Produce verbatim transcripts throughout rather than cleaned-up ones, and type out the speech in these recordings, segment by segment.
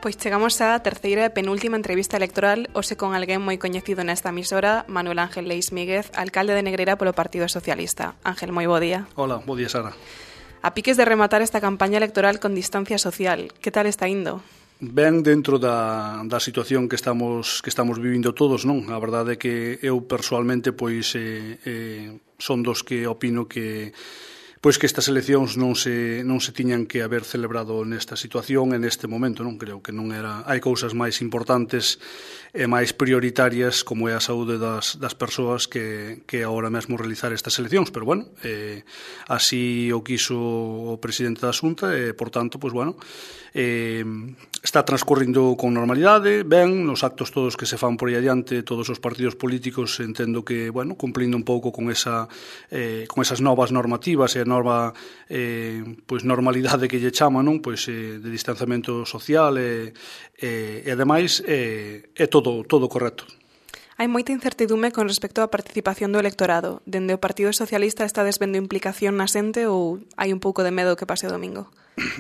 Pois chegamos á terceira e penúltima entrevista electoral, hoxe con alguén moi coñecido nesta emisora, Manuel Ángel Leis Míguez, alcalde de Negreira polo Partido Socialista. Ángel, moi bo día. Hola, bo día, Sara. A piques de rematar esta campaña electoral con distancia social, que tal está indo? Ben dentro da, da situación que estamos que estamos vivindo todos, non? A verdade é que eu persoalmente pois eh, eh, son dos que opino que pois que estas eleccións non se non se tiñan que haber celebrado nesta situación, en este momento, non creo que non era, hai cousas máis importantes e máis prioritarias como é a saúde das, das persoas que, que agora mesmo realizar estas eleccións, pero bueno, eh, así o quiso o presidente da Xunta e, por tanto, pois bueno, eh, está transcorrindo con normalidade, ben, nos actos todos que se fan por aí adiante, todos os partidos políticos, entendo que, bueno, cumplindo un pouco con esa eh, con esas novas normativas e a nova eh, pois normalidade que lle chama, non? Pois eh, de distanciamento social e, e, e ademais é, é todo, todo correcto. Hai moita incertidume con respecto á participación do electorado. Dende o Partido Socialista está desvendo implicación na xente ou hai un pouco de medo que pase o domingo?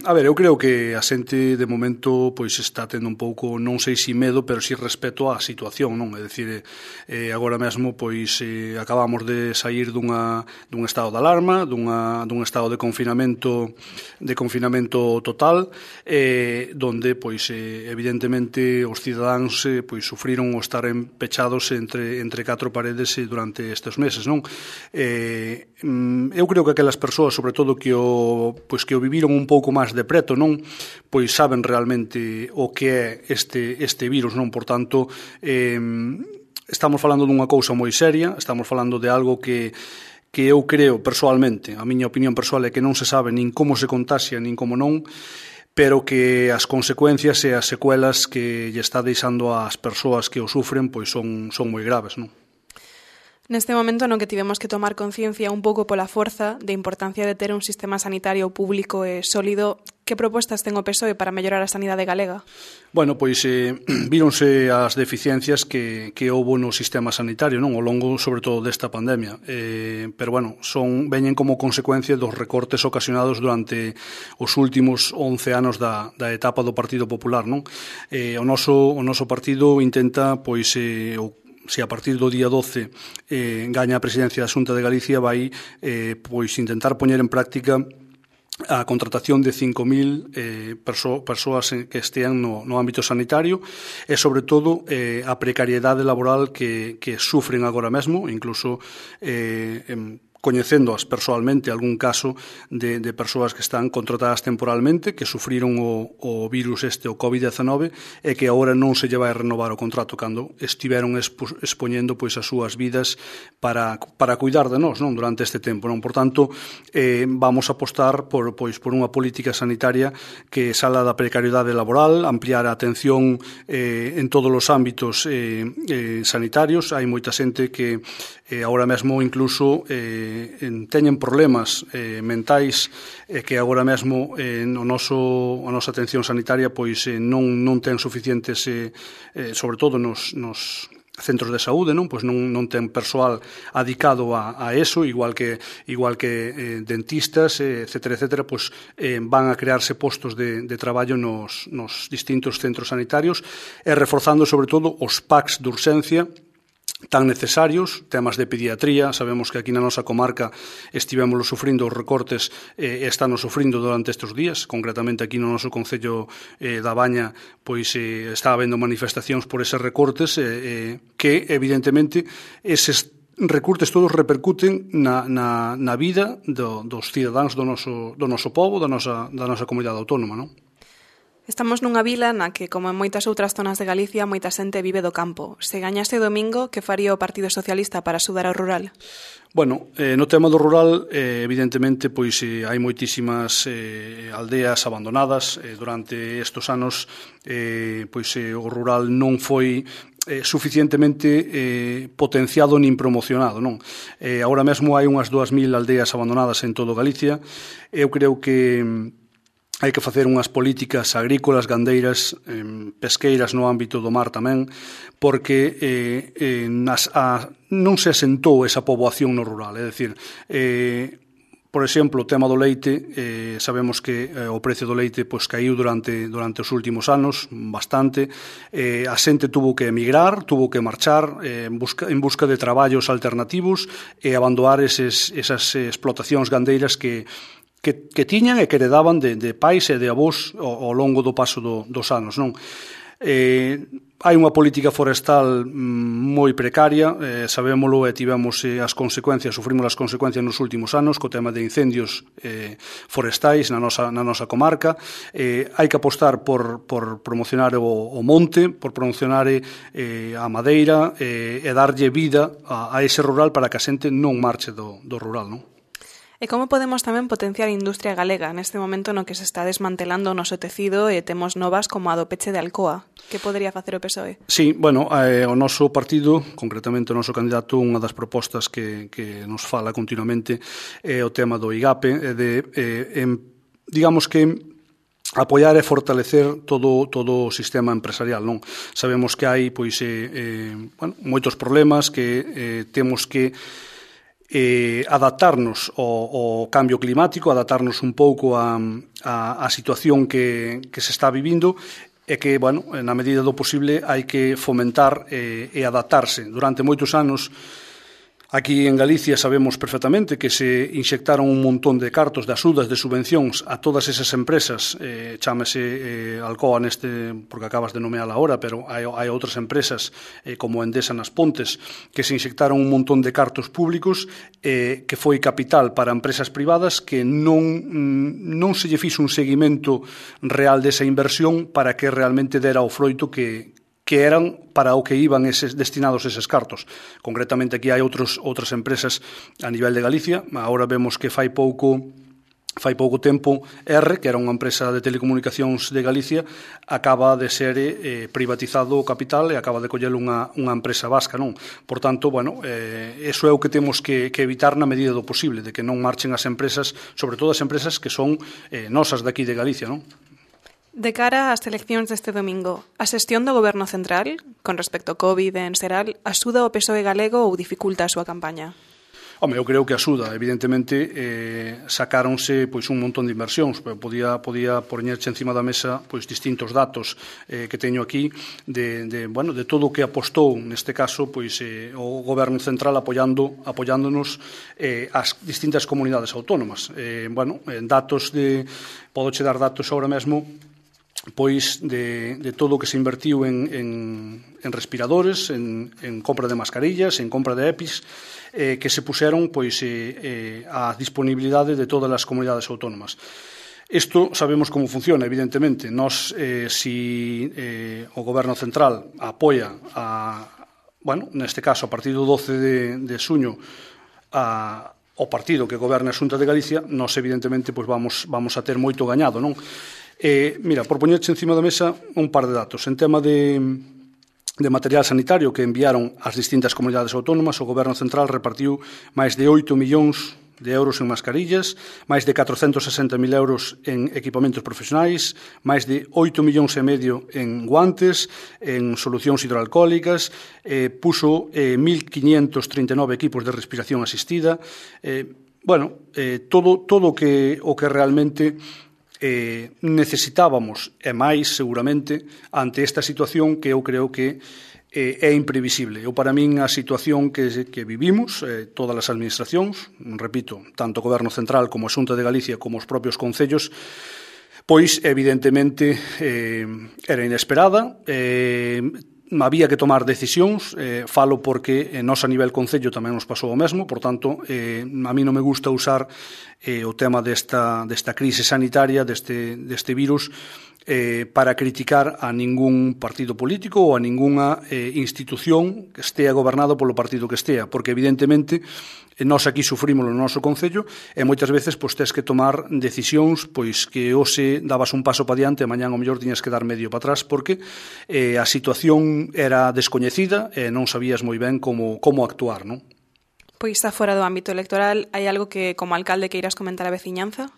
A ver, eu creo que a xente de momento pois está tendo un pouco, non sei se medo, pero si respeto á situación, non? É dicir, eh, agora mesmo pois eh, acabamos de sair dunha dun estado de alarma, dunha dun estado de confinamento de confinamento total, eh, donde pois eh, evidentemente os cidadáns eh, pois sufriron o estar pechados entre entre catro paredes eh, durante estes meses, non? Eh, eu creo que aquelas persoas, sobre todo que o pois que o viviron un pouco máis de preto, non, pois saben realmente o que é este este virus, non? Por tanto, eh, estamos falando dunha cousa moi seria, estamos falando de algo que que eu creo persoalmente, a miña opinión persoal é que non se sabe nin como se contaxia, nin como non, pero que as consecuencias e as secuelas que lle está deixando ás persoas que o sufren pois son son moi graves, non? Neste momento no que tivemos que tomar conciencia un pouco pola forza de importancia de ter un sistema sanitario público e sólido, que propostas ten o P S O E para mellorar a sanidade galega? Bueno, pois eh, víronse as deficiencias que, que houbo no sistema sanitario, non, ao longo, sobre todo, desta pandemia. Eh, pero, bueno, son veñen como consecuencia dos recortes ocasionados durante os últimos once anos da, da etapa do Partido Popular, non? Eh, o noso o noso partido intenta, pois, eh, o se a partir do día doce eh, gaña a presidencia da Xunta de Galicia, vai eh, pois intentar poñer en práctica a contratación de cinco mil eh, perso persoas que estean no, no ámbito sanitario e, sobre todo, eh, a precariedade laboral que, que sufren agora mesmo, incluso eh, en, coñecéndoas persoalmente algún caso de, de persoas que están contratadas temporalmente, que sufriron o, o virus este, o covid diecinueve, e que agora non se lle vai renovar o contrato cando estiveron expo, expoñendo pois as súas vidas para, para cuidar de nós, non, durante este tempo, non? Por tanto, eh, vamos a apostar por, pois, por unha política sanitaria que sala da precariedade laboral, ampliar a atención eh, en todos os ámbitos eh, eh, sanitarios. Hai moita xente que eh, agora mesmo incluso eh, teñen problemas eh, mentais e eh, que agora mesmo eh, no noso, a nosa atención sanitaria pois eh, non, non ten suficientes, eh, eh, sobre todo nos, nos centros de saúde, non? Pois non, non ten persoal adicado a, a eso, igual que igual que eh, dentistas, eh, etcétera, etcétera, pois eh, van a crearse postos de, de traballo nos, nos distintos centros sanitarios e reforzando sobre todo os packs de urxencia tan necesarios, temas de pediatría. Sabemos que aquí na nosa comarca estivémoslo sufrindo os recortes e eh, estános sufrindo durante estes días, concretamente aquí no noso concello eh, da Baña, pois eh, está habendo manifestacións por eses recortes eh, eh, que evidentemente eses recortes todos repercuten na, na, na vida do, dos cidadáns do noso, do noso pobo, da nosa, da nosa comunidade autónoma, non? Estamos nunha vila na que, como en moitas outras zonas de Galicia, moita xente vive do campo. Se gañase domingo, que faría o Partido Socialista para axudar ao rural? Bueno, eh, no tema do rural, eh, evidentemente, pois eh, hai moitísimas eh, aldeas abandonadas. Eh, durante estes anos, eh, pois eh, o rural non foi eh, suficientemente eh, potenciado nin promocionado, non? Eh, agora mesmo hai unhas dúas mil aldeas abandonadas en todo Galicia. Eu creo que hai que facer unhas políticas agrícolas, gandeiras, eh, pesqueiras no ámbito do mar tamén, porque eh, eh, nas, a, non se asentou esa poboación no rural. É dicir, eh, Por exemplo, o tema do leite, eh, sabemos que eh, o precio do leite pois, caiu durante, durante os últimos anos bastante. Eh, a xente tuvo que emigrar, tuvo que marchar eh, en, busca, en busca de traballos alternativos e abandonar eses, esas explotacións gandeiras que, que, que tiñan e que heredaban de, de pais e de avós ao, ao longo do paso do, dos anos, non? Eh, hai unha política forestal moi precaria, eh, sabémolo e tivemos eh, as consecuencias, sufrimos as consecuencias nos últimos anos co tema de incendios eh, forestais na nosa, na nosa comarca. Eh, hai que apostar por, por promocionar o, o monte, por promocionar eh, a madeira eh, e darlle vida a, a ese rural para que a xente non marche do, do rural, non? E como podemos tamén potenciar a industria galega neste momento no que se está desmantelando o noso tecido e temos novas como a do peche de Alcoa? Que podería facer o P S O E? Sí, bueno, eh, o noso partido, concretamente o noso candidato, unha das propostas que, que nos fala continuamente é o tema do IGAPE, e de, eh, en, digamos que apoiar e fortalecer todo todo o sistema empresarial, non? Sabemos que hai pois eh, eh, bueno, moitos problemas que eh, temos que Eh, adaptarnos ao, ao cambio climático, adaptarnos un pouco a, a, a situación que, que se está vivindo e que, bueno, na medida do posible hai que fomentar eh, e adaptarse. Durante moitos anos aquí en Galicia sabemos perfectamente que se inxectaron un montón de cartos de axudas, de subvencións a todas esas empresas, eh, chámese eh, Alcoa neste, porque acabas de nomeala ahora, pero hai, hai outras empresas eh, como Endesa nas Pontes que se inxectaron un montón de cartos públicos eh, que foi capital para empresas privadas que non, non se lle fixo un seguimento real desa inversión para que realmente dera o froito que que eran para o que iban eses, destinados eses cartos. Concretamente aquí hai outros, outras empresas a nivel de Galicia. Agora vemos que fai pouco fai pouco tempo R, que era unha empresa de telecomunicacións de Galicia, acaba de ser eh, privatizado o capital e acaba de coller unha, unha empresa vasca, non? Por tanto, bueno, eh, eso é o que temos que, que evitar na medida do posible, de que non marchen as empresas, sobre todo as empresas que son eh, nosas daqui de Galicia, non? De cara ás eleccións deste domingo, a xestión do Goberno Central, con respecto ao COVID en xeral, axuda o P S O E galego ou dificulta a súa campaña? Home, eu creo que axuda, evidentemente eh, sacáronse pois un montón de inversións, podía podía poñerche encima da mesa pois distintos datos eh, que teño aquí de, de bueno, de todo o que apostou neste caso pois eh, o Goberno Central apoiando apoiándonos eh, as distintas comunidades autónomas. Eh, bueno, en datos de podoche dar datos agora mesmo pois de, de todo o que se invertiu en, en, en respiradores, en, en compra de mascarillas, en compra de EPIs, eh, que se puxeron pois eh, eh, a disponibilidade de todas as comunidades autónomas. Isto sabemos como funciona, evidentemente. Nos, eh, si eh, o Goberno Central apoia, a, bueno, neste caso, a partir do doce de, de suño, a o partido que goberna a Xunta de Galicia, nós evidentemente pois vamos, vamos a ter moito gañado, non? Eh, mira, por poñerche encima da mesa un par de datos. En tema de, de material sanitario que enviaron as distintas comunidades autónomas, o Goberno Central repartiu máis de oito millóns de euros en mascarillas, máis de catrocentos e sesenta mil euros en equipamentos profesionais, máis de oito millóns e medio en guantes, en solucións hidroalcohólicas, eh, puso eh, mil quinientos trinta e nove equipos de respiración asistida. Eh, bueno, eh, todo todo que, o que realmente eh, necesitábamos, e máis seguramente, ante esta situación que eu creo que eh, é imprevisible. Eu, para min, a situación que, que vivimos, eh, todas as administracións, repito, tanto o Goberno Central como a Xunta de Galicia como os propios concellos, pois, evidentemente, eh, era inesperada, eh, había que tomar decisións, eh, falo porque eh, nos a nivel concello tamén nos pasou o mesmo, por tanto, eh, a mí non me gusta usar eh, o tema desta, desta crise sanitaria, deste, deste virus, eh, para criticar a ningún partido político ou a ningunha eh, institución que estea gobernado polo partido que estea, porque evidentemente nós aquí sufrimos no noso concello e moitas veces pois tes que tomar decisións pois que hoxe dabas un paso para diante e mañán o mellor tiñas que dar medio para atrás porque eh, a situación era descoñecida e non sabías moi ben como, como actuar, non? Pois está fora do ámbito electoral, hai algo que como alcalde que irás comentar a veciñanza?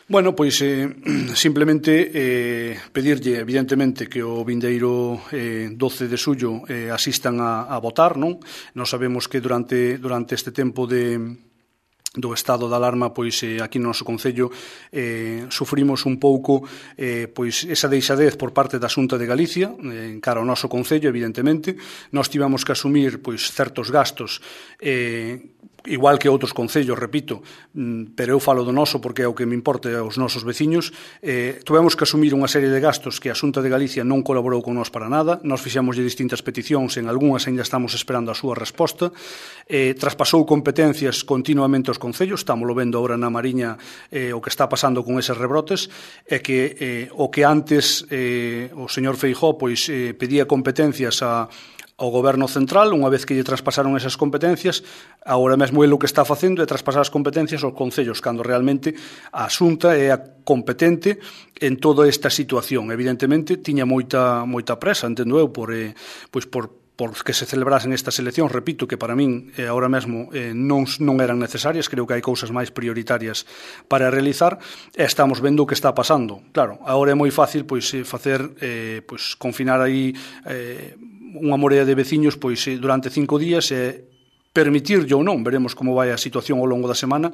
Bueno, pois eh, simplemente eh, pedirlle, evidentemente, que o vindeiro eh, doce de xullo eh, asistan a, a votar, non? Nós sabemos que durante, durante este tempo de, do estado de alarma, pois eh, aquí no noso Concello eh, sufrimos un pouco eh, pois esa deixadez por parte da Xunta de Galicia eh, en cara ao noso Concello, evidentemente. Nós tivemos que asumir pois certos gastos eh, igual que outros concellos, repito, pero eu falo do noso porque é o que me importa aos nosos veciños. Eh, tuvemos que asumir unha serie de gastos que a Xunta de Galicia non colaborou con nós para nada. Nós fixemos distintas peticións, en algunhas ainda estamos esperando a súa resposta. Eh, traspasou competencias continuamente aos concellos, estámoslo vendo agora na Mariña eh, o que está pasando con eses rebrotes, é que eh, o que antes eh, o señor Feijóo pois, eh, pedía competencias a ao Goberno Central, unha vez que lle traspasaron esas competencias, agora mesmo ele o que está facendo é traspasar as competencias aos concellos, cando realmente a Xunta é a competente en toda esta situación. Evidentemente, tiña moita moita presa, entendo eu, por, eh, pois por por que se celebrasen estas eleccións, repito, que para min eh, ahora mesmo eh, non, non eran necesarias, creo que hai cousas máis prioritarias para realizar, e estamos vendo o que está pasando. Claro, agora é moi fácil pois facer, eh, pois confinar aí eh, unha morea de veciños pois durante cinco días e permitirlle ou non, veremos como vai a situación ao longo da semana,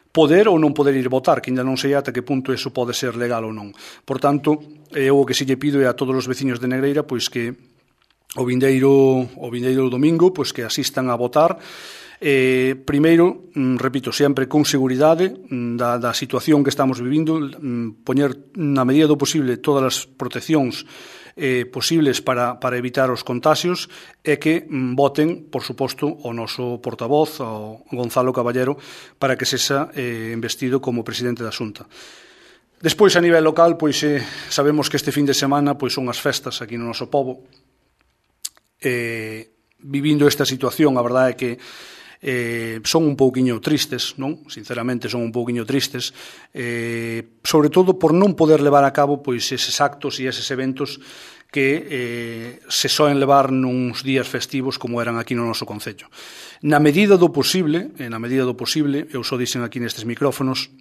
poder ou non poder ir votar, que ainda non sei ata que punto eso pode ser legal ou non. Por tanto, eu o que se lle pido é a todos os veciños de Negreira pois que o vindeiro, o vindeiro domingo pois que asistan a votar. Eh, primeiro, repito, sempre con seguridade da, da situación que estamos vivindo, poñer na medida do posible todas as proteccións eh, posibles para, para evitar os contagios e que mm, voten, por suposto, o noso portavoz, o Gonzalo Caballero, para que sexa eh, investido como presidente da Xunta. Despois, a nivel local, pois eh, sabemos que este fin de semana pois son as festas aquí no noso pobo. Eh, vivindo esta situación, a verdade é que eh, son un pouquiño tristes, non? Sinceramente son un pouquiño tristes, eh, sobre todo por non poder levar a cabo pois eses actos e eses eventos que eh, se soen levar nuns días festivos como eran aquí no noso Concello. Na medida do posible, eh, na medida do posible, eu só dixen aquí nestes micrófonos,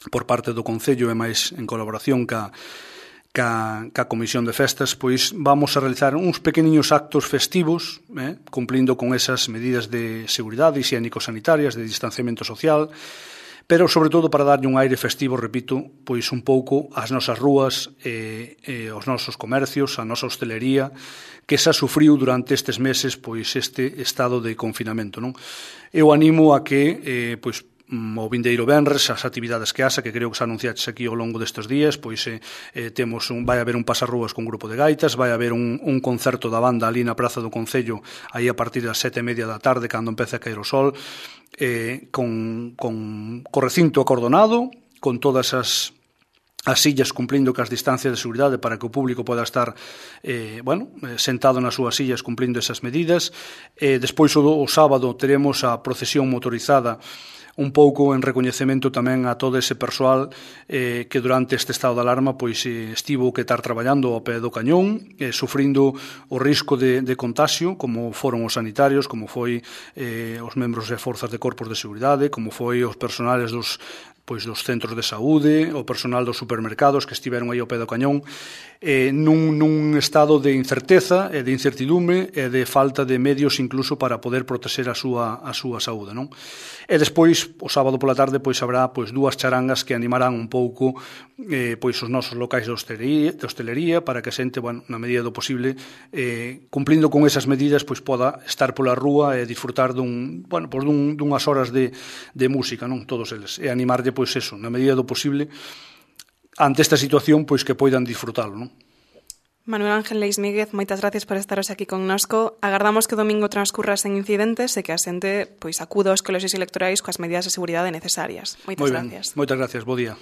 por parte do Concello e máis en colaboración ca Ca, ca Comisión de Festas, pois vamos a realizar uns pequeniños actos festivos, eh, cumplindo con esas medidas de seguridade higiénico-sanitarias, de distanciamento social, pero sobre todo para darlle un aire festivo, repito, pois un pouco ás nosas rúas, eh, eh, aos nosos comercios, a nosa hostelería, que xa sufriu durante estes meses pois este estado de confinamento, non? Eu animo a que eh, pois o vindeiro venres, as actividades que haxa, que creo que se anunciaches aquí ao longo destes días, pois eh, eh, temos un, vai haber un pasarrúas con grupo de gaitas, vai haber un, un concerto da banda ali na Praza do Concello, aí a partir das sete e media da tarde, cando empece a caer o sol, eh, con, con, con recinto acordonado, con todas as as sillas cumplindo cas distancias de seguridade para que o público poda estar eh, bueno, sentado nas súas sillas cumplindo esas medidas. Eh, despois o, o sábado teremos a procesión motorizada un pouco en recoñecemento tamén a todo ese persoal eh, que durante este estado de alarma pois eh, estivo que estar traballando ao pé do cañón, eh, sufrindo o risco de, de contagio, como foron os sanitarios, como foi eh, os membros de forzas de corpos de seguridade, como foi os personales dos pois dos centros de saúde, o personal dos supermercados que estiveron aí ao pé do cañón, eh, nun, nun estado de incerteza e de incertidume e de falta de medios incluso para poder protexer a súa, a súa saúde, non? E despois, o sábado pola tarde, pois habrá pois dúas charangas que animarán un pouco eh, pois os nosos locais de hostelería, de hostelería para que a xente, bueno, na medida do posible, eh, cumplindo con esas medidas, pois poda estar pola rúa e disfrutar dun, bueno, pois dun, dunhas horas de, de música, non? Todos eles. E animarlle, pois eso, na medida do posible, ante esta situación, pois que poidan disfrutalo, non? Manuel Ángel Leis Míguez, moitas gracias por estaros aquí connosco. Agardamos que o domingo transcurra sen incidentes e que a xente pois acuda aos colexios electorais coas medidas de seguridade necesarias. Moitas Moi ben. gracias. Moitas gracias, bo día.